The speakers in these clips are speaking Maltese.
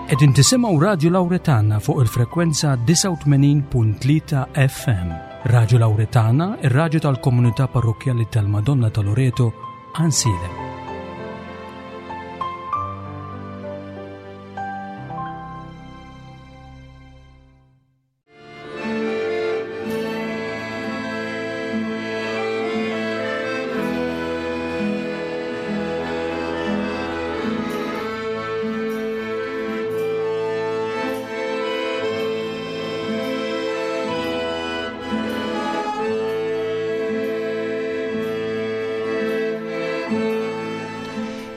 Qegħdin tisimgħu Radju Lawretana fuq il-frekwenza 89.3 FM. Radju Lawretana, ir-radju tal-komunità parrokkjali tal-Madonna ta' Loreto, Ansilem.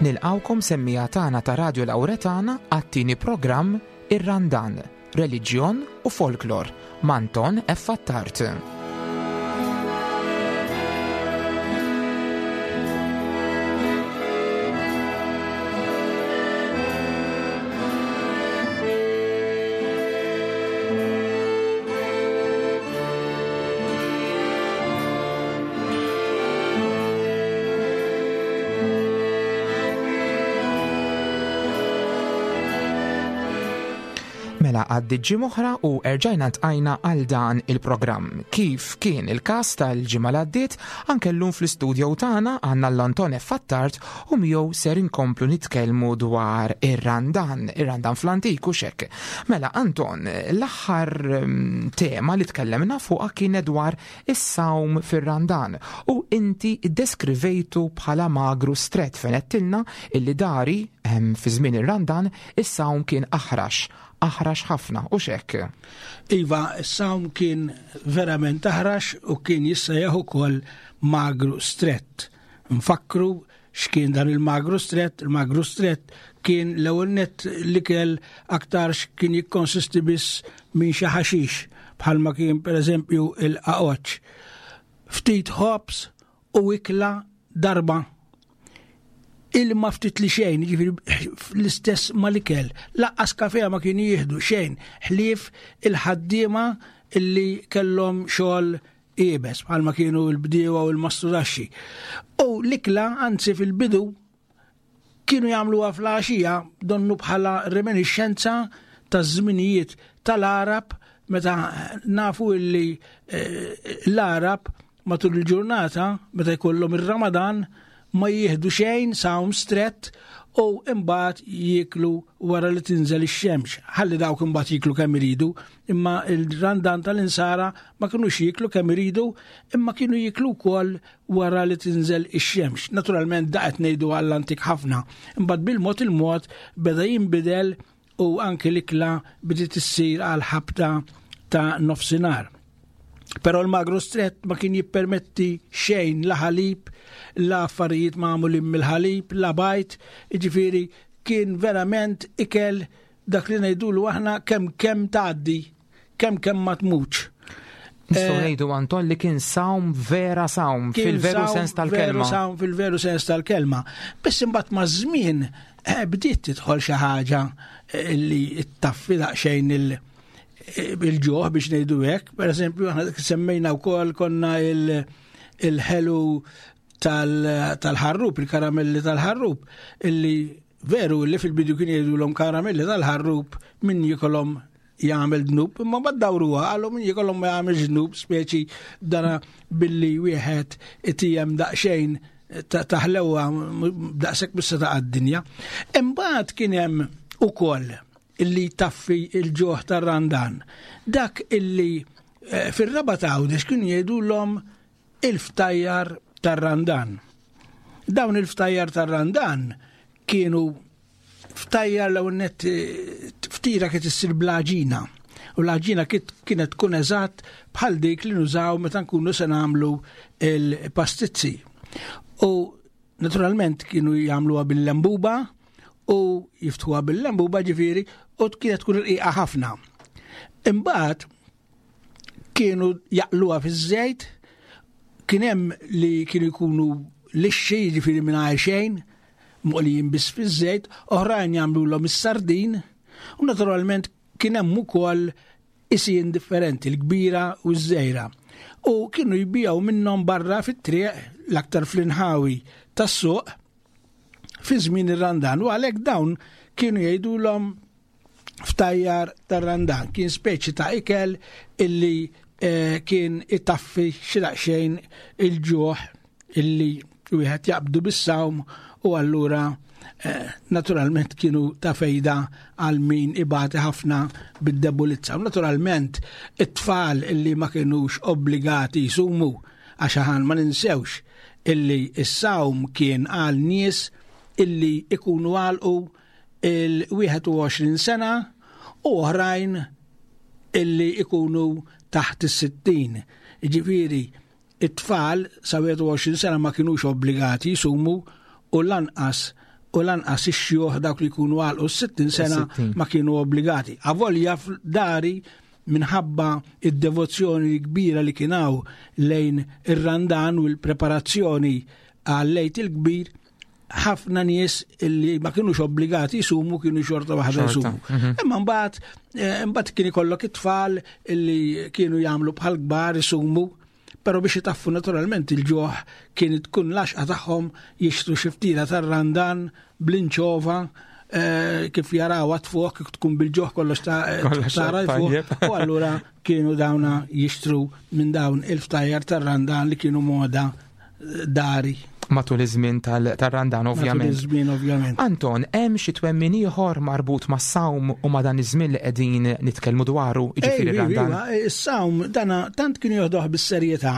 Nilqawkom semmija tagħna ta' Radio Lawretana għat-tieni programm Ir-Randan. Reliġjon u Folklor m'Anton F. Attard. Mela għaddiet ġimgħa oħra u erġajna ntqajna għal dan il-programm. Kif kien il-każ tal-ġimgħa li għaddiet, anke llum fl-istudio tagħna għandna l-Anton F. Attard u miegħu ser inkomplu nitkellmu dwar ir-Randan, ir-Randan fl-antik u xek. Mela Anton, l-aħħar mm, tema li tkellemna fuqha kienet dwar is-sawm fir-Randan u inti ddeskrivejtu bħala magru strett fejn għedtilna illi dari ehm, fi żmien ir-Randan Is-sawm kien aħrax, aħrax ħafna, hux hekk? Iva, is-sawm kien verament aħrax u kien jissejjaħ ukoll magru strett. Nfakkru x'kien dan il-magru strett, il-magru strett kien l-ewwel nett l-ikel aktarx kien jikkonsisti biss minn xi ħaxix bħalma kien pereżempju il-qaqoċċ. Ftit ħobż u ikla darba ilma ftit li xejn, ġifiri l-istess mal-ikel, laqqas kafea ma kienu jieħdu xejn, ħlief il-ħaddiema illi kellhom xogħol iebes, bħalma kienu l-bdiewa u l-mastrudaxxi. U l-ikla, anzi fil-bidu, kienu jagħmluha fl-għaxija donnu bħala reminiscenza taż-żminijiet tal-Arab meta nafu illi eh, l-Arab matul il-ġurnata meta jkollhom ir-Ramadan ma jieħdu xejn sawm strett u imbagħad jieklu wara li tinżel ix-xemx. Ħalli dawk imbagħad jieklu kemm iridu, imma il-Randan tal-insara ma kinux jieklu kemm iridu, imma kienu jieklu wkoll wara li tinżel ix-xemx. Naturalment da qed ngħidu għall-antik ħafna. Imbagħad bil-mod il-mod beda jinbidel u anki l-ikla bdiet issir għal ħabta ta' nofsinhar. Però l-magru strett ma kien jippermetti xejn la ħalib, la affarijiet magħmulin mill-ħalib, la bajt, jiġifieri kien verament ikel dak li ngħidulu aħna kemm kemm tgħaddi, kemm kemm ma tmutx. Nistgħu eh, ngħidu Anton li kien sawm vera sawm fil-veru sens tal-kelma. Veru sawm fil-veru sens tal-kelma. Biss imbagħad maż-żmien eh, bdiet tidħol xi ħaġa eh, li ttaffi daqsxejn il- il-ġuħ biex ngħidu hekk. Per eżempju, aħna semmejna wkoll konna il-ħelu tal-ħarrub, il-karamelli tal-ħarrub, illi veru li fil-bidu kien jgħidulhom karamelli tal-ħarrub min jikolhom jagħmel dnub, imma ma dawruha qalu min jikolhom ma jagħmel dnub, speċi dana billi wieħed itijem daqsxejn taħlewha daqshekk bissa ta' dinja Imbagħad kien hemm ukoll illi taffi il-ġuħ tar-Randan. Dak illi eh, fir-raba ta' Għawdex kienu jgħidulhom il-ftajjar tar-Randan. Dawn il-ftajjar tar-Randan kienu ftajjar l net eh, ftira kif issir bl-għaġina. U l-għaġina kienet tkun eżatt bħal dik li nużaw meta nkunu se nagħmlu il-pastizzi. U naturalment kienu jagħmluha bil-lembuba u jiftħuha bil-lembuba ġifieri u kienet tkun irqiqa ħafna. Imbagħad kienu jaqluha fiż-żejt, kien hemm li kienu jkunu lixxi jiġifieri mingħajr xejn, moqlijin biss fiż-żejt, oħrajn jagħmlulhom is-sardin, u naturalment kien hemm ukoll isien differenti, l-kbira u ż-żgħira. U kienu jbijaw minnhom barra fit-triq l-aktar fl-inħawi tas-suq fi żmien ir-Randan u għalhekk dawn kienu jgħidulhom ftajjar tar-Randan. Kien speċi ta' ikel illi eh, kien itaffi xi daqsxejn il-ġuħ illi wieħed jaqbdu bis-sawm u allura eh, naturalment kienu ta' fejda għal min ibati ħafna bid-debulizza. U naturalment it-tfal illi ma kienux obbligati jsumu għax aħan ma ninsewx illi s-sawm kien għal nies illi ikunu għalqu il-21 sena u oħrajn illi ikunu taħt is-60. Ġifieri, it-tfal sa 21 sena ma kinux obbligati jisumu u lanqas u lanqas ix-xjuħ dawk li jkunu għalqu s-60 sena ma kienu obbligati. Avolja dari minħabba id-devozzjoni kbira li kien hawn lejn ir-Randan u l-preparazzjoni għal-Lejt il-Kbir, ħafna nies li ma kienux obbligati jisumu kienu xorta waħda jisumu. Mhm. Imma mbagħad eh, mbagħad kien ikollok it-tfal li kienu jagħmlu bħal kbar isumu, però biex itaffu naturalment il-ġoħ kien tkun laxqa tagħhom jixtru xi ftira tar-randan bl-inċova eh, kif jaraw għatfuq kif tkun bil-ġoħ kollox ta' tara fuq. U allura kienu dawna jixtru minn dawn il-ftajjar tar-randan li kienu moda dari. Matul iż-żmien tar-Randan ovvjament. Matul iż-żmien ovvjament. Anton, hemm xi twemmin ieħor marbut mas-sawm u ma' dan iż-żmien li qegħdin nitkellmu dwaru, jiġifieri r-Randan? Iva, is-sawm dana tant kienu joħduh bis-serjetà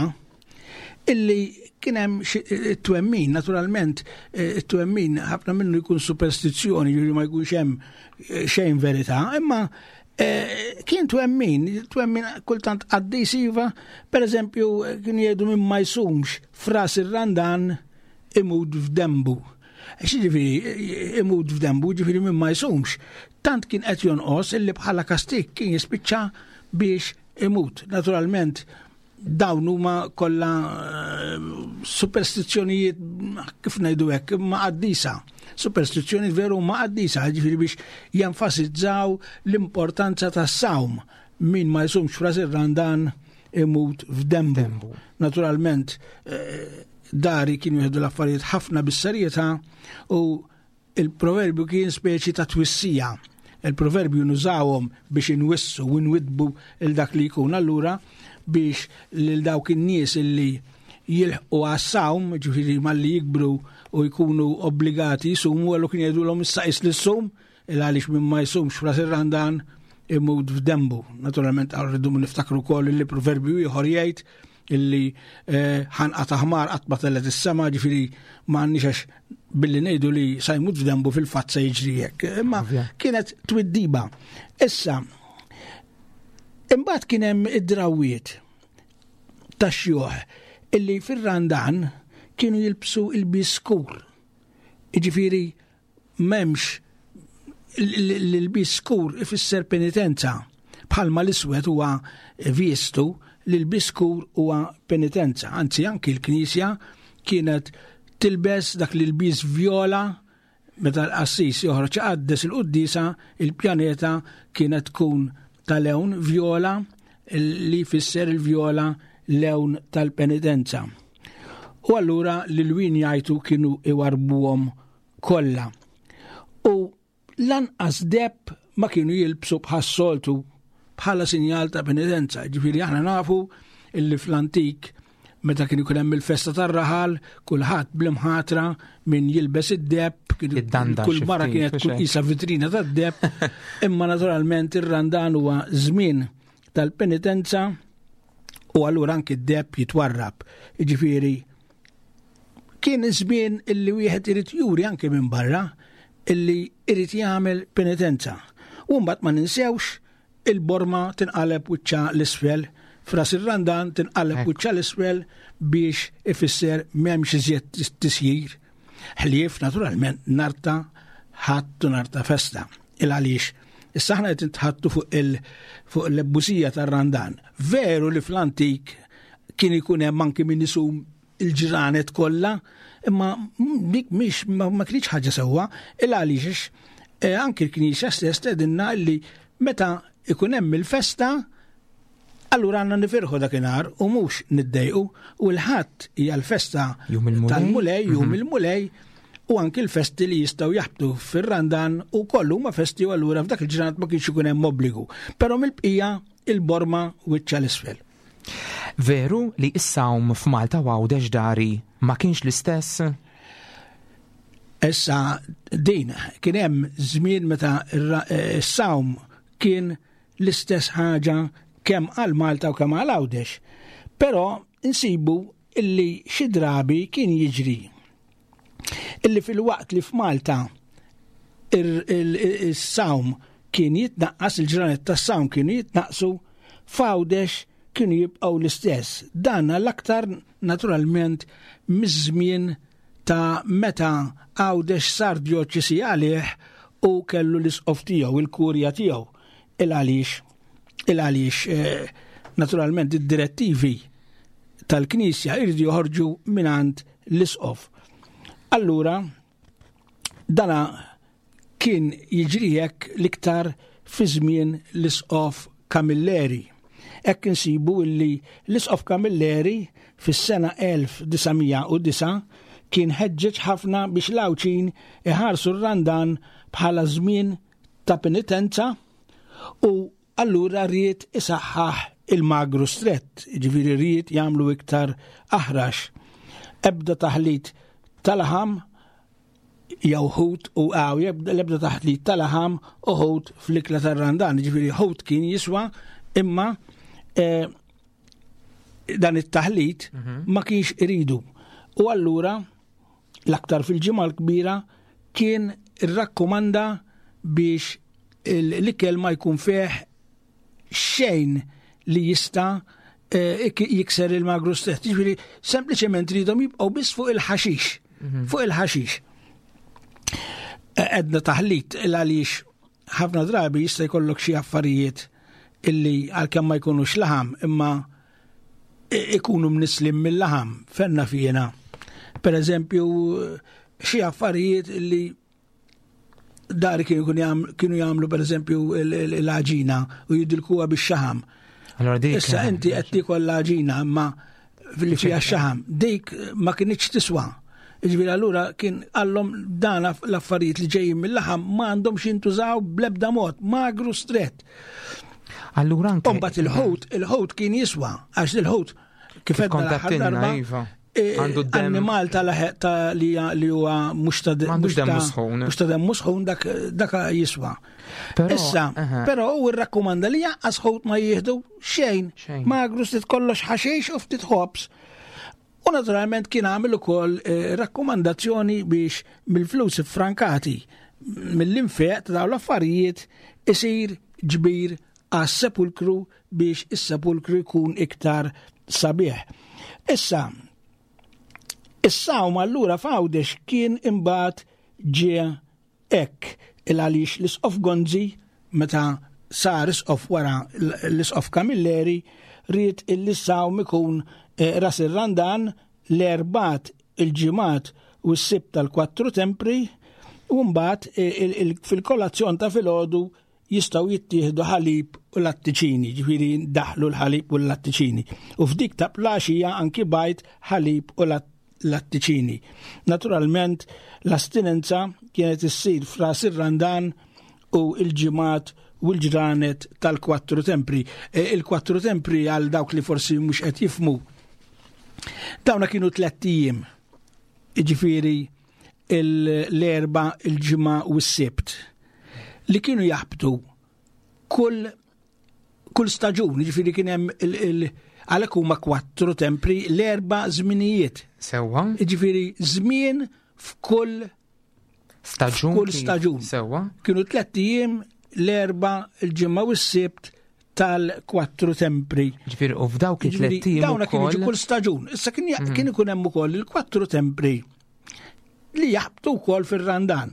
illi kien hemm twemmin, naturalment it-twemmin ħafna minnu jkun superstizzjoni, jiġifieri ma jkunx hemm eh, xejn verità, imma Eh, kien twemmin, twemmin kultant qaddis iva, per eżempju, kien jgħidu minn ma jsumx fras ir-randan imut f'dembu. Xiġifieri imut f'dembu, ġifieri minn ma jsumx. Tant kien qed jonqos illi bħala kastik kien jispiċċa biex imut. Naturalment, dawn huma kollha eh, superstizzjonijiet kif ngħidu hekk ma qaddisa. Superstizzjonijiet veru ma qaddisa, ġifieri biex jenfasizzaw l-importanza tas-sawm min ma jsumx fras ir-randan imut f'dembu. Naturalment, eh, dari kienu jieħdu l-affarijiet ħafna bis-serjetà u Il-proverbju kien speċi ta' twissija. Il-proverbju nużawhom biex inwissu u nwiddbu il dak li jkun allura biex lil dawk in-nies illi jilħqu għas-sawm, ġifieri malli jikbru u jkunu obbligati jsumu, għallu kien jgħidulhom issa qis li ssum, il għaliex min ma jsumx fras ir-Randan imut f'dembu. Naturalment rridu niftakru wkoll li proverbju ieħor jgħid illi eh, ħanqa ta' ħmar qatt ma tellet is-sema, ġifieri ma għandniex għax billi ngħidu li sa jmut f'dembu fil-fatt se jiġri hekk. Imma kienet twiddiba. Issa, imbagħad kien hemm id-drawiet tax-xjuħ illi fir-Randan kienu jilbsu il-biskur. Jiġifieri M'hemmx l-ilbies skur ifisser penitenza. Bħalma l-iswed huwa viestu, l-ilbies skur huwa penitenza. Anzi, anki l-Knisja kienet tilbes dak l-ilbies vjola meta l-qassis joħroġ iqaddes il-quddiesa, il-pjaneta kienet tkun ta' lewn vjola li jfisser il-vjola lewn tal-penitenza. U allura l-lwien jgħajtu kienu iwarbuhom kollha. U lanqas deb ma kienu jilbsu bħas-soltu bħala sinjal ta' penitenza. Ġifieri aħna nafu illi fl-antik meta kien ikun hemm il-festa tar-raħal, kulħadd bl-imħatra min jilbes id-deb, kull mara kienet tkun qisha vitrina tad-deb, imma naturalment ir-Randan huwa żmien tal-penitenza u allura anki d-deb jitwarrab. Ġifieri Kien żmien illi wieħed irid juri anke minn barra illi irid jagħmel penitenza. U mbagħad ma ninsewx il-borma tinqaleb wiċċa l-isfel, fras ir-Randan tinqaleb wiċċa l-isfel biex ifisser m'hemmx iżjed tisjir. Ħlief naturalment narta ħadd u narta festa. Il għaliex issa aħna qed nitħattu fuq il fuq l-ebbusija tar-Randan. Veru li fl-antik kien ikun hemm anki min isum il-ġranet kollha, imma dik mhix ma kienx ħaġa sewwa, il għaliex eh, anki l-Knisja stess tgħidilna li meta ikun hemm il-festa allura għandna nifirħu dakinhar u mhux niddejqu u l-ħadd hija l-festa tal-Mulej, jum mhm. il-Mulej. u anki l-festi li jistgħu jaħbtu fir-Randan u kollu huma festi u allura f'dak il-ġranet ma kienx ikun hemm obbligu. Però mill-bqija il-borma wiċċa l-isfel. Veru li s-sawm f'Malta u Għawdex dari ma kienx l-istess? Issa din kien hemm żmien meta s-sawm kien l-istess ħaġa kemm għal Malta u kemm għal Għawdex. Però insibu illi xi drabi kien jiġri illi filwaqt li f'Malta is-sawm kien jitnaqqas, il-ġranet tas-sawm kienu jitnaqqsu, f'Għawdex kienu jibqgħu l-istess. Dan l-aktar naturalment miż-żmien ta' meta Għawdex sar djoċesi għalih u kellu l-isqof tiegħu, il-kurja tiegħu. Il għaliex il għaliex eh, naturalment id-direttivi tal-Knisja irridu joħorġu mingħand l-isqof. Allura, dana kien jiġri hekk l-iktar fi żmien l-isqof Camilleri. Hekk insibu illi l-isqof Camilleri fis-sena 1909 kien ħeġġeġ ħafna biex l-Għawdxin iħarsu r-Randan bħala żmien ta' penitenza u allura ried isaħħaħ il-magru strett, ġifieri ried jagħmlu iktar aħrax. Ebda taħlit tal-laħam jew ħut u għaw, l-ebda taħlit tal-laħam u ħut fl-ikla tar-randan, ġifieri ħut kien jiswa imma eh, dan it-taħlit mhm. ma kienx iridu. U allura l-aktar fil-ġimgħa l-kbira kien irrakkomanda biex l-ikel ma jkun fih xejn li jista' eh, jikser il-magru stess. Ġifieri sempliċement ridhom jibqgħu biss fuq il-ħaxix. Mhm. Fuq il-ħaxix. Eh, edna taħlit il għaliex ħafna drabi jista' jkollok xi affarijiet illi għalkemm ma jkunux laħam imma ikunu mnislim mill-laħam fenna fjena. Per eżempju, xi affarijiet illi dari kienu jagħmlu per eżempju l-għaġina u jidilkuha bix-xaħam. Issa inti qed tiekol l-għaġina imma li fiha x-xaħam, dik ma kinitx tiswa. Ġifieri allura kien għallhom dan l-affarijiet li ġejjin mill-laħam ma għandhomx jintużaw bl-ebda mod, magru strett. Allura anke. Imbagħad il-ħut, il-ħut kien jiswa, għax il-ħut kif għedna iva. E, Għandu d-animal ta' li li huwa mhux ta' mhux ta' sħun. Mhux ta' demmu sħun dak dak jiswa. Issa, però hu rrakkomanda li jaqqas ħut ma jieħdu xejn. Magru ftit kollox ħaxix u ftit ħobs. U naturalment kien għamel ukoll eh, rakkomandazzjoni biex mill-flus frankati mill-infeq ta' dawn l-affarijiet isir ġbir għas-sepulkru biex is-sepulkru jkun iktar sabiħ. Issa, is-sawm allura f'Għawdex kien imbagħad ġie hekk il għaliex l-Isqof Gonzi meta sar isqof wara l-Isqof Camilleri ried illi s-sawm ikun eh, ras ir-Randan l-Erbgħat, il-Ġimgħat u s-Sibt tal-Kwattru Tempri u mbagħad eh, fil-kolazzjon ta' filgħodu jistgħu jittieħdu ħalib u lattiċini, ġifieri daħlu l-ħalib u l-lattiċini. U f'dik ta' plaxija anki bajt ħalib u lattiċini. Naturalment, l-astinenza kienet issir f'ras ir-Randan u l-ġimgħat u l-ġranet tal-kwattru tempri. E, il-kwattru tempri għal dawk li forsi mhux qed jifmu. Dawna kienu tlett ijiem. Jiġifieri l-erba, il-ġimgħa u s-sibt li kienu jaħbtu kull kull staġun, ġifieri kien hemm il għalhekk huma kwattru tempri l-erba' żminijiet. Sewwa. Ġifieri żmien f'kull staġun. Kull staġun. Sewwa. Kienu tlett ijiem l-erba' il-ġimgħa u s-sibt tal-kwattru tempri. Ġifieri u f'dawk it-tlett ijiem. Dawna kienu kull staġun. Issa kien mm. ikun hemm ukoll il-kwattru tempri li jaħbtu wkoll fir-Randan,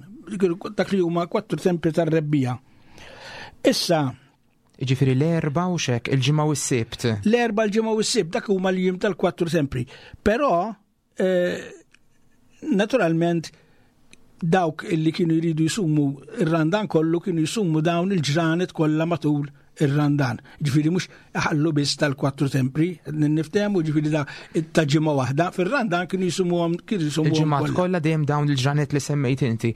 dak li huma kwattru tempri tar-rebbija. Issa, Ġifiri l-erba u xek, il-ġimgħa u s-sibt. L-erba l-ġimgħa u s-sibt, dak huma l-jiem tal-kwattru tempri. Però, eh, naturalment, dawk li kienu jridu jisumu ir-randan kollu kienu jisumu dawn il-ġranet kollha matul ir-Randan. Ġifieri mhux iħallu biss tal-kwattru tempri, niftehmu ġifieri da ta' ġimgħa waħda, fir-Randan kienu jisumuhom kienu jisumuhom. Il-ġimgħat kollha dejjem dawn il-ġranet li semmejt inti.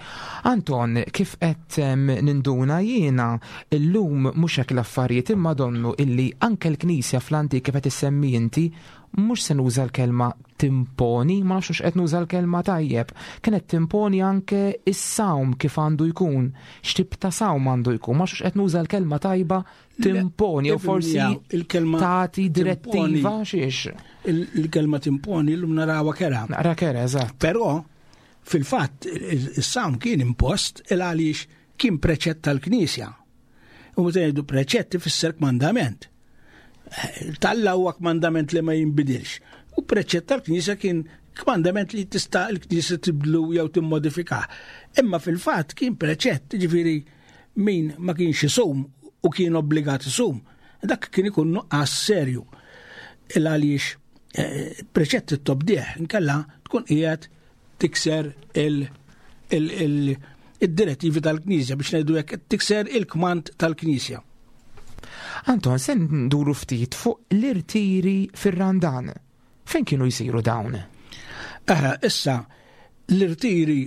Anton, kif qed ninduna jiena illum mhux hekk l-affarijiet imma donnu illi anke l-Knisja fl-antik kif qed issemmi inti mhux se nuża l-kelma timponi, ma nafx qed nuża l-kelma tajjeb, kienet timponi anke is-sawm kif għandu jkun, x'tip ta' sawm għandu jkun, ma nafx qed nuża l-kelma tajba timponi, jew forsi il-kelma tagħti direttiva xiex. Il-kelma timponi llum narawha kera. Naqra kera, eżatt. Però fil-fatt is-sawm kien impost il għaliex kien preċett tal-Knisja. U meta ngħidu preċett ifisser kmandament. Talla huwa kmandament li ma jinbidilx. U preċett tal-Knisja kien kmandament li tista' l-Knisja tibdlu jew timmodifikah. Imma fil-fatt kien preċett, ġifieri min ma kienx isum u kien obbligat isum, dak kien ikun nuqqas serju. Il għaliex eh, preċett it-tobdieħ inkella tkun qiegħed tikser il-direttivi tal-Knisja biex ngħidu hekk tikser il-kmand tal-Knisja. Anton, se nduru ftit fuq l-irtiri fir-Randan. Fejn kienu jsiru dawn? Eh, issa, l-irtiri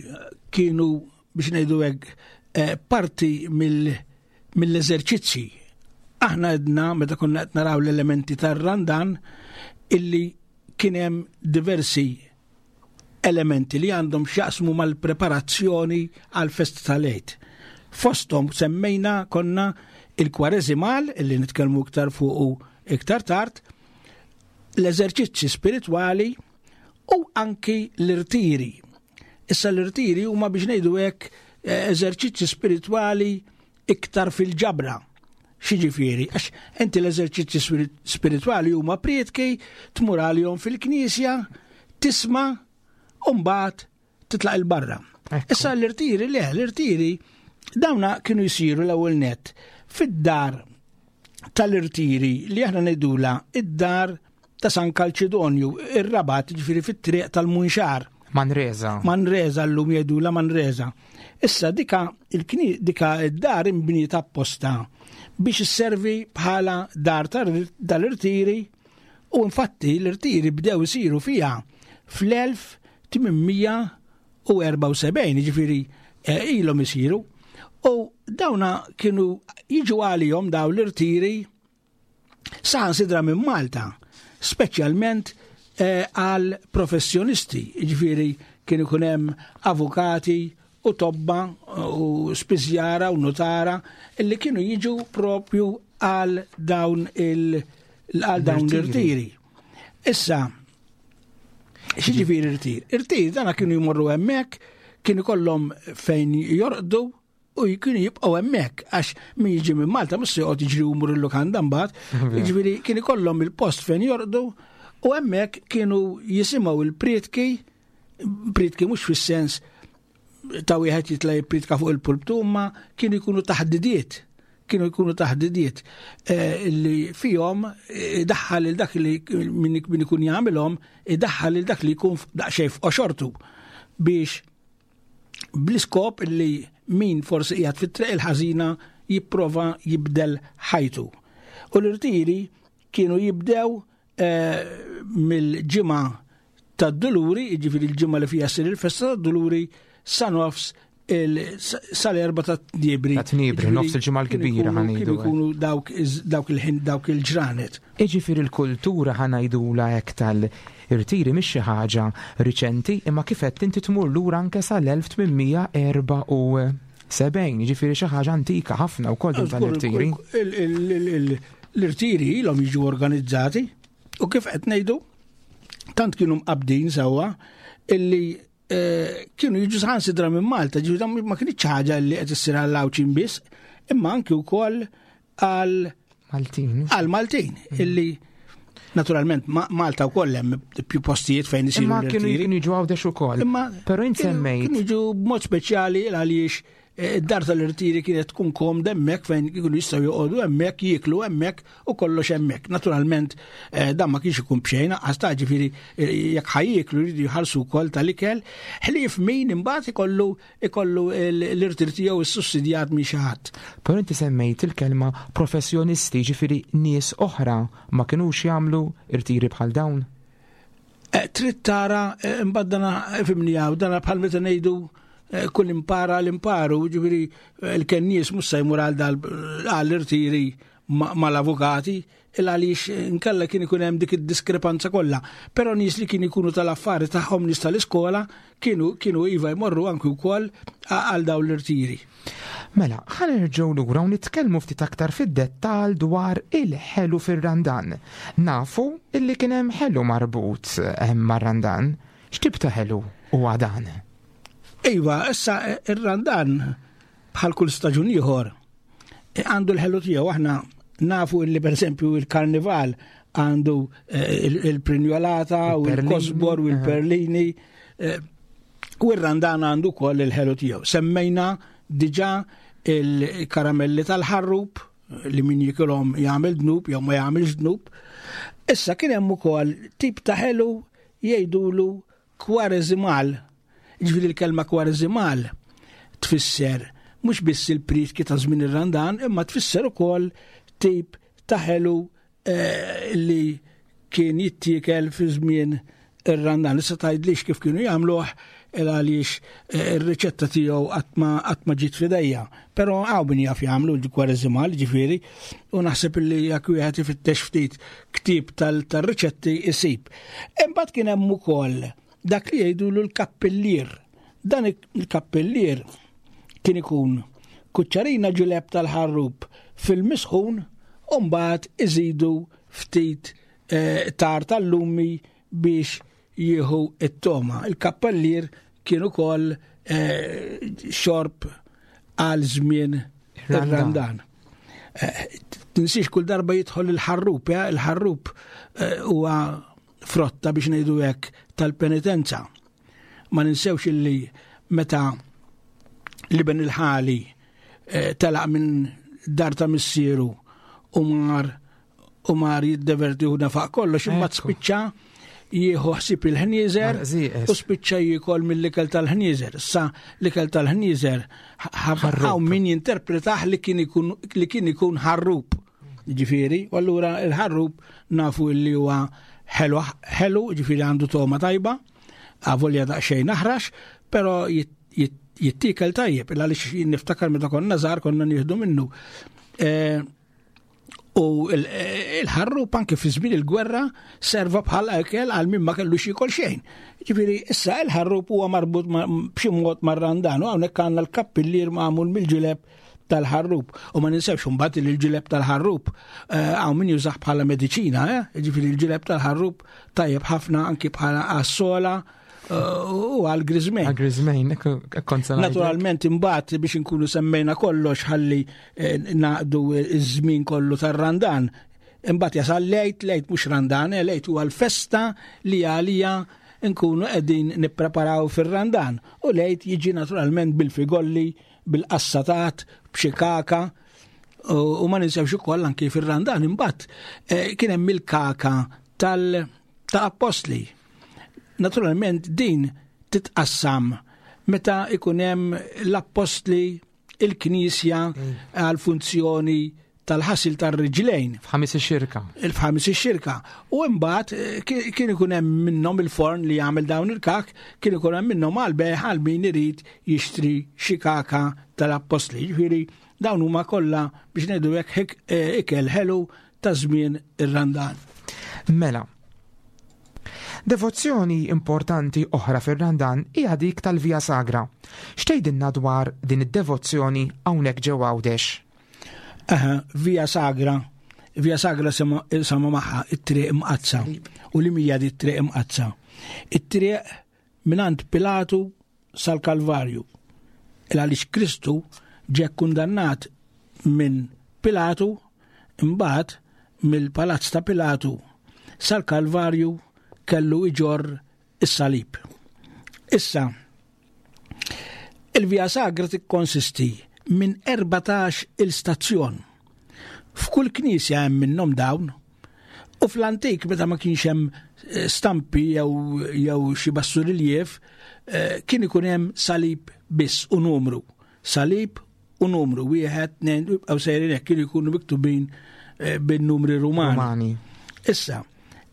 kienu biex ngħidu hekk eh, parti mill-eżerċizzi. Aħna għedna meta konna qed naraw l-elementi tar-Randan illi kien hemm diversi elementi li għandhom x'jaqsmu mal-preparazzjoni għall-festa tal-Għid. Fosthom semmejna konna il-kwareżimal illi nitkellmu iktar fuqu iktar tard, l-eżerċizzi spiritwali u anki l-irtiri. Issa l-irtiri huma biex ngħidu hekk eh, eżerċizzi spiritwali iktar fil-ġabra. Xiġifieri, għax inti l-eżerċizzi spiritwali huma prietki, tmur għalihom fil-knisja, tisma' u mbagħad titlaq il-barra. Issa l-irtiri, le, l-irtiri dawna kienu jsiru l-ewwel net fid-dar tal-irtiri li aħna ngħidula id-dar ta' San Kalċidonju, ir-Rabat, ġifieri fit-triq tal-Munxar. Manresa. Manresa llum jgħidula Manresa. Issa dika dika id-dar imbniet apposta biex isservi bħala dar tal-irtiri u infatti l-irtiri bdew isiru fiha fl-1874, ġifieri eh, ilhom isiru. U dawna kienu jiġu għalihom daw l-irtiri saħansitra minn Malta, speċjalment eh, għal professjonisti, ġifieri kien ikun hemm avukati u tobba u spiżjara u notara illi kienu jiġu propju għal dawn il għal dawn l-irtiri. Issa, x'ġifieri irtir? Irtir dana kienu jmorru hemmhekk, kienu kollhom fejn jorqdu, u kienu jibqgħu hemmhekk għax min jiġi minn Malta mhux se joqgħod jiġri jmur il-lukanda mbagħad. Jiġifieri kien ikollhom il-post fejn jorqdu u hemmhekk kienu jisimgħu il-prietki, prietki mhux fis-sens ta' wieħed jitla' jipprietka fuq il-pulptu imma kienu jkunu taħdidiet kienu jkunu taħdidiet eh, li fihom eh, daħħal il dak li min ikun jagħmilhom idaħħal il dak li jkun daqsxejn f'qoxortu biex bl-iskop li min forsi qiegħed fit-triq il-ħażina jipprova jibdel ħajtu. U l-irtiri kienu jibdew eh, mill-ġimgħa tad-duluri, jiġifieri l-ġimgħa li fiha ssir il-festa tad-duluri sa nofs sal-erba ta' tniebri. Ta' tniebri, nofs il-ġimgħa l-kbira ħanejdu. Kienu dawk il-ħin dawk il-ġranet. Iġifieri l-kultura ħanajdula hekk tal-irtiri mhix xi ħaġa riċenti, imma kif qed inti tmur lura anke sal-1874, jiġifieri xi ħaġa antika ħafna wkoll din tal-irtiri. L-irtiri ilhom jiġu organizzati u kif qed ngħidu tant kienu mqabbdin sewwa illi Eh, kienu jiġu saħansitra minn Malta, ġifieri ma kienx ħaġa li qed issir għal Għawdxin biss, imma anki wkoll għal Maltin. Għal Maltin, mm. illi naturalment Malta wkoll hemm più postijiet fejn isiru. Imma kienu jiġu Għawdex ukoll. Imma però int semmejt. Kienu jiġu b'mod speċjali għaliex id-dar tal-irtiri kienet tkun komda hemmhekk fejn kienu jistgħu joqogħdu hemmhekk, jieklu hemmhekk u kollox hemmhekk. Naturalment eh, dan ma kienx ikun b'xejn, għax ta' ġifieri eh, jekk ħajjieklu jridu jħallsu wkoll tal-ikel, ħlief min imbagħad ikollu ikollu l-irtir tiegħu ssussidjat minn xi ħadd. Però inti semmejt il-kelma professjonisti, ġifieri nies oħra ma kinux jagħmlu irtiri bħal dawn? Eh, trid tara eh, imbagħad dana eh, fimni hawn dana bħal meta ngħidu kull impara l-imparu, ġifieri l-kennies mhux se jmur għal dal għall-irtiri mal-avukati, il għaliex nkella kien ikun hemm dik id-diskrepanza kollha. Però nies li kien ikunu tal-affari tagħhom nies tal-iskola kienu kienu iva jmorru anki wkoll għal dawn l-irtiri. Mela, ħa nerġgħu lura u nitkellmu ftit aktar fid-dettall dwar il-ħelu fir-Randan. Nafu illi kien hemm ħelu marbut eh, mar-Randan. X'tip ta' ħelu huwa dan? Iva, issa eh, ir-Randan bħal kull staġun ieħor eh, għandu l-ħelu tiegħu aħna nafu illi pereżempju il-karnival għandu il-prinjolata u l-kosbor u l-perlini. U r-randan għandu wkoll il-ħelu tiegħu. Semmejna diġà il-karamelli tal-ħarrub li min jikilhom jagħmel dnub jew ma jagħmilx dnub. Issa kien hemm ukoll tip ta' ħelu jgħidulu kwareżimal. Ġifieri l-kelma kwareżimal tfisser mhux biss il-prietki ta' żmien ir-Randan, imma tfisser ukoll tip ta' ħelu Eh, li kien jittiekel fi żmien ir-Randan. Issa tgħidlix kif kienu jagħmluh il għaliex eh, ir-riċetta tiegħu qatt ma ġiet fidejja. Però hawn min jaf jagħmlu l-kwareżimal ġifieri u naħseb li jekk wieħed ifittex ftit ktieb tal-riċetti isib. Imbagħad kien hemm ukoll dak li jgħidulu l-kappillier. Dan il-kappillier kien ikun kuċċarina ġuleb tal-ħarrub fil-misħun u mbagħad iżidu ftit eh, tar tal-lumi biex jieħu it-toma. Il-kappellier kien ukoll eh, xorb għal żmien ir-Randan. Eh, tinsiex kull darba jidħol il-ħarrub, il-ħarrub huwa frotta biex ngħidu hekk tal-penitenza. Ma ninsewx illi meta l-iben il-ħali eh, telaq minn dar ta' missieru u mar u mar jiddeverti u nafaq kollox imma spiċċa jieħu ħsieb il-ħnieżer u spiċċa jiekol mill-ikel tal-ħnieżer. Sa l-ikel tal-ħnieżer hawn min jinterpretah li kien ikun li kien ikun ħarrub. Ġifieri, u allura il-ħarrub nafu li huwa ħelu ħelu, ġifieri għandu toma tajba, avolja daqsxejn aħrax, però jittikel tajjeb, il għaliex niftakar meta konna żgħar konna nieħdu minnu. E, u il-ħarrub anke fi żmien il-gwerra serva bħal ekel għal min ma kellux jiekol xejn. Ġifieri issa il-ħarrub huwa marbut b'xi mod mar-randan u hawnhekk għandna l-kappillier magħmul mill-ġileb tal-ħarrub. U ma ninsewx imbagħad li l-ġileb tal-ħarrub eh, hawn min jużah bħala mediċina, eh? ġifieri l-ġileb tal-ħarrub tajjeb ħafna anki bħala għas-sola eh, u għal griżmejn. Għal griżmejn, kont Naturalment imbagħad biex inkunu semmejna kollox ħalli naqdu iż-żmien kollu tar-Randan. Imbagħad jasal lejt, lejt mhux Randan, lejt huwa l-festa li għalija nkunu qegħdin nippreparaw fir-Randan. U lejt jiġi naturalment bil-figolli bil-qassatat, b'xi kaka, u ma ninsewx ukoll anki fir-Randan imbagħad eh, kien hemm il-kaka tal ta' appostli. Naturalment din titqassam meta ikun hemm l-appostli il-knisja mm. għal funzjoni tal-ħasil tar-riġlejn. F'ħamis ix-xirka. Il-f'ħamis ix-xirka. U imbagħad eh, kien ikun hemm minnhom il-forn li jagħmel dawn il-kak, kien ikun hemm minnhom għal beħ għal min irid jixtri xi kaka tal-appostli. Ġifieri dawn huma kollha biex ngħidu hekk eh, ikel ħelu ta' żmien ir-Randan. Mela, Devozzjoni importanti oħra fir-Randan hija dik tal-Via Sagra. X'tgħidilna dwar din id-devozzjoni hawnhekk ġewwa Għawdex? Aha, Via Sagra. Via Sagra sama magħha it-triq imqazza. U li mija di triq imqazza. It-triq minant Pilatu sal-Kalvarju. Il għaliex Kristu ġie kundannat minn Pilatu imbagħad mill-palazz ta' Pilatu sal-Kalvarju kellu iġorr is-salib. Issa, il Il-Via Sagra tikkonsisti minn 14 il-stazzjon. F'kull knisja hemm minnhom dawn. U fl-antik meta ma kienx hemm eh, stampi jew jew xi bassuriljev, eh, kien ikun hemm salib biss u numru. Salib u numru wieħed, tnejn, jibqgħu sejrin hekk kienu jkunu miktubin eh, bin-numri rumani. Rumani. Issa,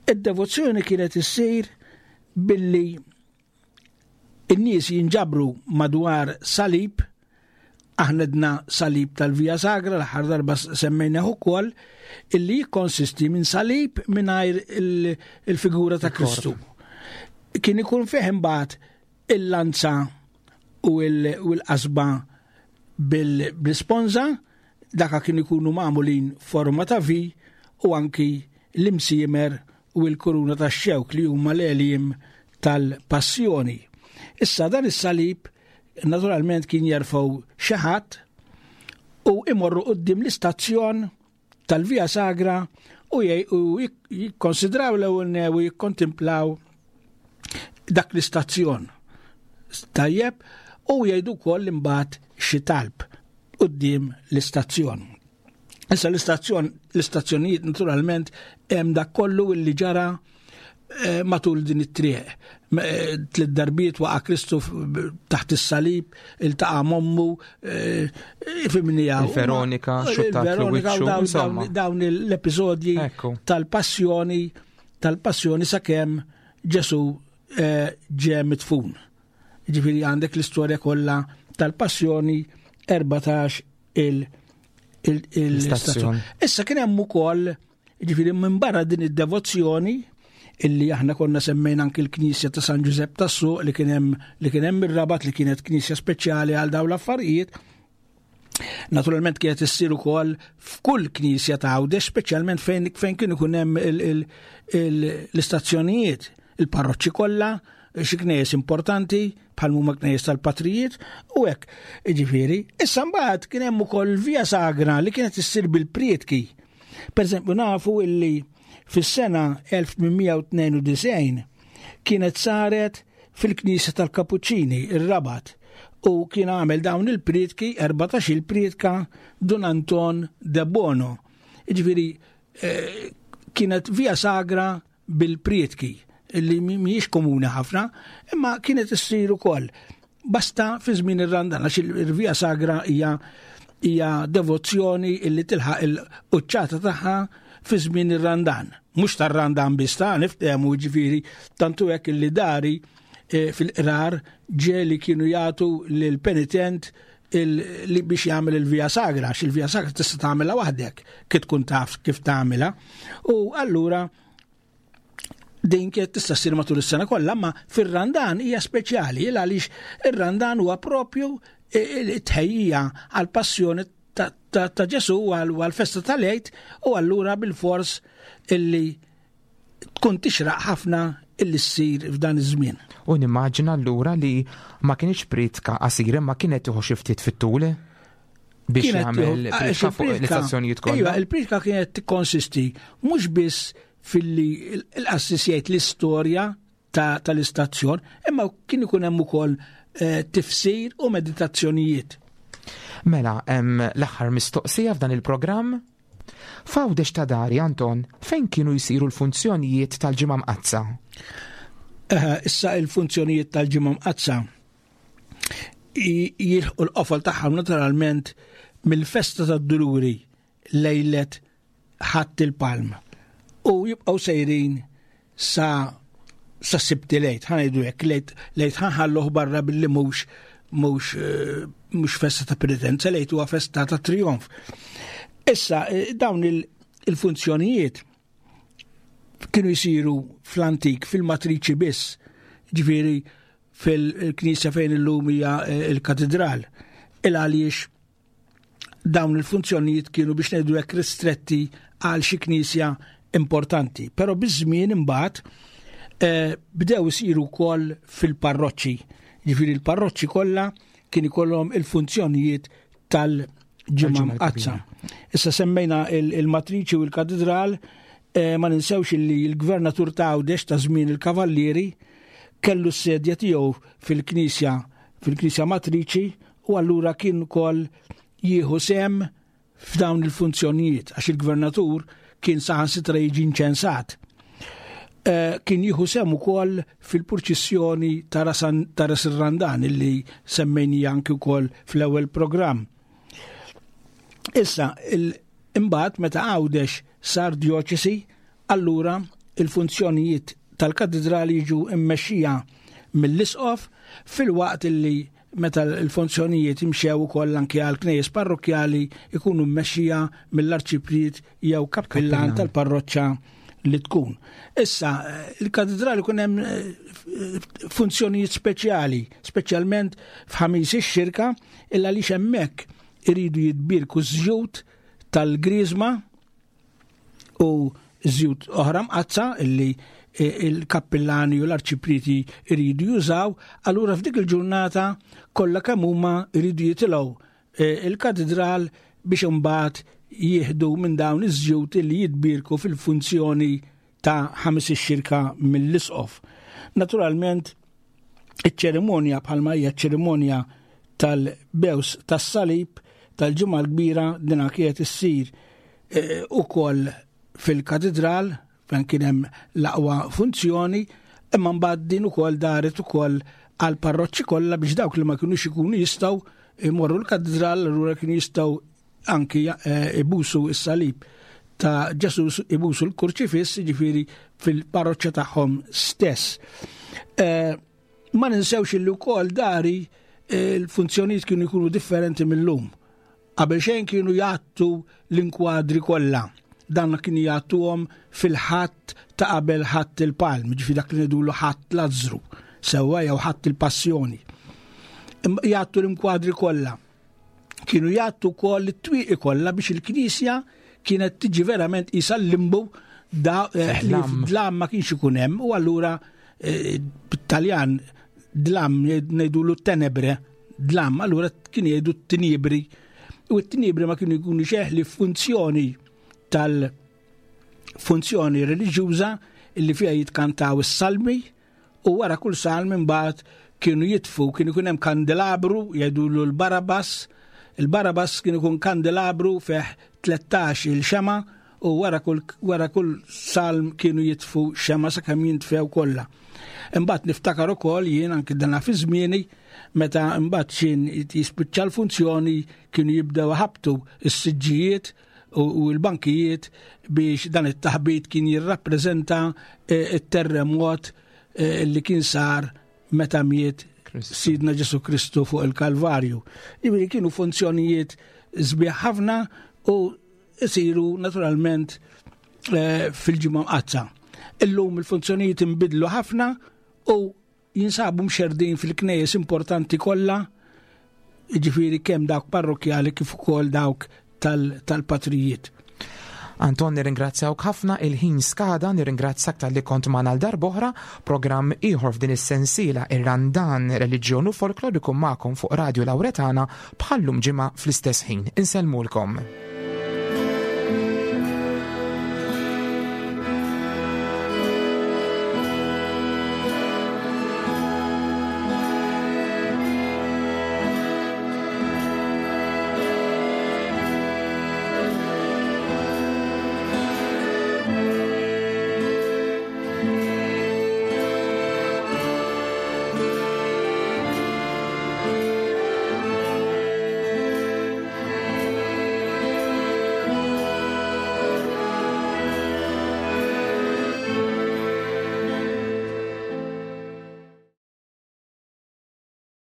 id-devozzjoni kienet issir billi in-nies jinġabru madwar salib, aħna dna salib tal-Via Sagra, l-aħħar darba semmejna ukoll, illi jikkonsisti minn salib mingħajr il-figura ta' Kristu. Kien ikun fih imbagħad il-lanza u l-qasba bil-sponza, daka kien ikunu magħmulin forma ta' V u anki l-imsiemer u l-kuruna tax-xewk li huma l-għeliem tal-passjoni. Issa dan is-salib naturalment kien jerfgħu xi ħadd u imorru quddiem l-istazzjon tal-Via Sagra u jikkonsidraw l-ewwel u jikkontimplaw dak l-istazzjon. Tajjeb, u jgħidu wkoll imbagħad xi talb quddiem l-istazzjon. Issa l-istazzjon, l-istazzjonijiet naturalment hemm dak kollu illi ġara eh, matul din it-triq. Eh, tliet darbiet waqa' Kristu taħt is-salib, iltaqa' mommu, eh, fimni Il-Veronika, xuttat l Dawn l-episodji tal-passjoni, tal-passjoni sakemm Ġesu ġe mitfun. Ġifieri għandek l-istorja kollha tal-passjoni 14 il- l-istazzjon. Issa kien hemm ukoll, ġifieri minn barra din id-devozzjoni illi aħna konna semmejna anki l-Knisja ta' San Ġużepp tas-Suq li kien hemm li kien hemm ir-Rabat li kienet knisja speċjali għal dawn l-affarijiet. Naturalment kienet issir ukoll f'kull knisja ta' Għawdex, speċjalment fejn fejn kien ikun hemm l-istazzjonijiet, il-parroċċi kollha, xi knejjes importanti bħal huma knejjes tal-patrijiet u hekk. Jiġifieri, issa mbagħad kien hemm ukoll via sagra li kienet issir bil-prietki. Per eżempju nafu illi fis-sena 1892 kienet saret fil-Knisja tal-Kapuċċini, ir-Rabat, u kien għamel dawn il-prietki, 14 il-prietka Dun Anton de Bono. Jiġifieri eh, kienet via sagra bil-prietki li mhijiex komuni ħafna, imma kienet issir ukoll. Basta fi żmien ir-Randan għax il-Via Sagra hija hija devozzjoni illi tilħaq il-quċċata tagħha fi żmien ir-Randan. Mhux tar-Randan biss ta' niftehmu ġifieri tantu hekk illi dari eh, fil-qrar ġeli kienu jagħtu lil penitent li biex jagħmel il-Via Sagra, għax il-Via Sagra tista' tagħmilha waħdek kif tkun taf kif tagħmilha. U allura din kienet tista' ssir matul is-sena kollha, ma fir-Randan hija speċjali il għaliex ir-Randan huwa propju it-tħejjija għall-passjoni ta' Ġesu għall-festa tal-Għid u allura bil-fors illi tkun tixraq ħafna illi ssir f'dan iż-żmien. U nimmaġina allura li ma kienx pritka qasira ma kienet tieħu xi ftit fit-tul biex jagħmel pritka fuq l-istazzjonijiet kollha. Iva, il-pritka kienet tikkonsisti mhux biss filli l-qassis jgħid l-istorja tal-istazzjon, imma kien ikun hemm ukoll eh, tifsir u meditazzjonijiet. Mela, hemm l-aħħar mistoqsija f'dan il-programm F'Għawdex ta' dari, Anton, fejn kienu jsiru l-funzjonijiet tal-Ġimgħa Mqaddsa? Eh, issa il-funzjonijiet tal-Ġimgħa Mqaddsa jilħqu l-qofol tagħhom naturalment mill-festa tad-Duluri lejlet ħadd il-Palm u jibqgħu sejrin sa sa sibti lejt, ħanajdu hekk, lejt lejt ħanħalluh barra billi mhux mhux eh, mhux festa ta' penitenza, lejt huwa festa ta' trionf. Issa eh, dawn il-funzjonijiet kienu jsiru fl-antik fil-matriċi biss, ġifieri fil-knisja fejn illum hija eh, il-katedral. Il għaliex dawn il-funzjonijiet kienu biex ngħidu hekk ristretti għal xi knisja importanti. Però biż-żmien imbagħad eh, bdew isiru wkoll fil-parroċċi. Ġifieri l-parroċċi kollha kien ikollhom il-funzjonijiet tal-ġimgħa mqaddsa. Issa semmejna il-matriċi u l-katedral, eh, ma ninsewx li l-gvernatur ta' Għawdex ta' żmien il-Kavallieri kellu s-sedja tiegħu fil-knisja fil-Knisja Matriċi u allura kien ukoll jieħu sehem f'dawn il-funzjonijiet għax il-gvernatur kien saħansitra jiġi inċensat. Eh, kien jieħu sehem ukoll fil-purċissjoni ta' Ras ir-Randan illi semmejni anki wkoll fl-ewwel programm. Issa, imbagħad meta Għawdex sar djoċesi, allura il-funzjonijiet tal-katidrali jiġu mmexxija mill-isqof filwaqt illi meta l-funzjonijiet imxew ukoll anke għal knejjes parrokkjali ikunu mmexxija mill-arċipriet jew kappillan tal-parroċċa li tkun. Issa, il-katidrali kun hemm eh, funzjonijiet speċjali, speċjalment f'ħamis ix-xirka, illa li hemmhekk iridu jitbirku żjut tal-griżma u żjut oħra mqazza illi eh, il-kappillani u l-arċipriti iridu jużaw, allura f'dik il-ġurnata kollha kemm huma iridu jitilgħu eh, il-katedral biex imbagħad jieħdu minn dawn iż-żjut li jitbirku fil-funzjoni ta' ħames ix-xirka mill-isqof. Naturalment, iċ-ċerimonja bħalma hija ċerimonja tal-bews tas-salib tal-ġimgħa l-kbira dina kienet issir eh, ukoll fil-katedral fejn kien hemm l-aqwa funzjoni, imma mbagħad din ukoll daret ukoll għal parroċċi kollha biex dawk li ma kinux ikunu jistgħu imorru l-katedral allura kienu jistgħu anki eh, ibusu s-salib ta' Ġesu ibusu l-kurċifiss, ġifiri fil-parroċċa tagħhom stess. Eh, ma ninsewx illi wkoll dari eh, l-funzjonijiet kienu jkunu differenti mill-lum. Qabel xejn kienu jgħattu l-inkwadri kollha. Dan kienu jgħattuhom fil-ħadd ta' qabel ħadd il-palm, ġifi dak li ngħidulu ħadd Lazzru, sewwa jew ħadd il-passjoni. Jgħattu l-inkwadri kollha. Kienu jgħattu wkoll it-twieqi kollha biex il-knisja kienet tiġi verament isa l-limbu da eh, dlam ma kienx ikun hemm u allura eh, bit-Taljan dlam ngħidulu tenebre dlam, allura kien jgħidu t-tinibri. U t-tinibri ma kienu jkunu xeħli funzjoni tal-funzjoni reliġjuża illi fiha jitkantaw is-salmi u wara kull salm imbagħad kienu jitfu, kien ikun hemm kandelabru jgħidulu l-Barabas, il-Barabas kien ikun kandelabru fih 13 il-xema u wara kull wara kull salm kienu jitfu xema sakemm jintfew kollha. Imbagħad niftakar ukoll jien anki dana fi żmieni meta imbagħad xin jispiċċa l-funzjoni kienu jibdew ħabtu s-siġġijiet u l-bankijiet biex dan it-taħbit kien jirrappreżenta eh, it-terremot eh, li kien sar meta miet Sidna Ġesu Kristu fuq il-Kalvarju. Jiġifieri kienu funzjonijiet sbieħ ħafna u isiru naturalment eh, fil-ġimgħa mqazza. Illum il-funzjonijiet inbidlu ħafna u jinsabu mxerdin fil-knejjes importanti kollha, jiġifieri kemm dawk parrokkjali kif ukoll dawk tal-patrijiet. Anton nirringrazzjawk ħafna il-ħin skada nirringrazzjak tal-li kont magħna l darb'oħra programm ieħor f'din is-sensiela ir-Randan Reliġjon u Folklor ikun magħkom fuq Radio Lauretana bħallum ġimgħa fl-istess ħin. Insellmulkom.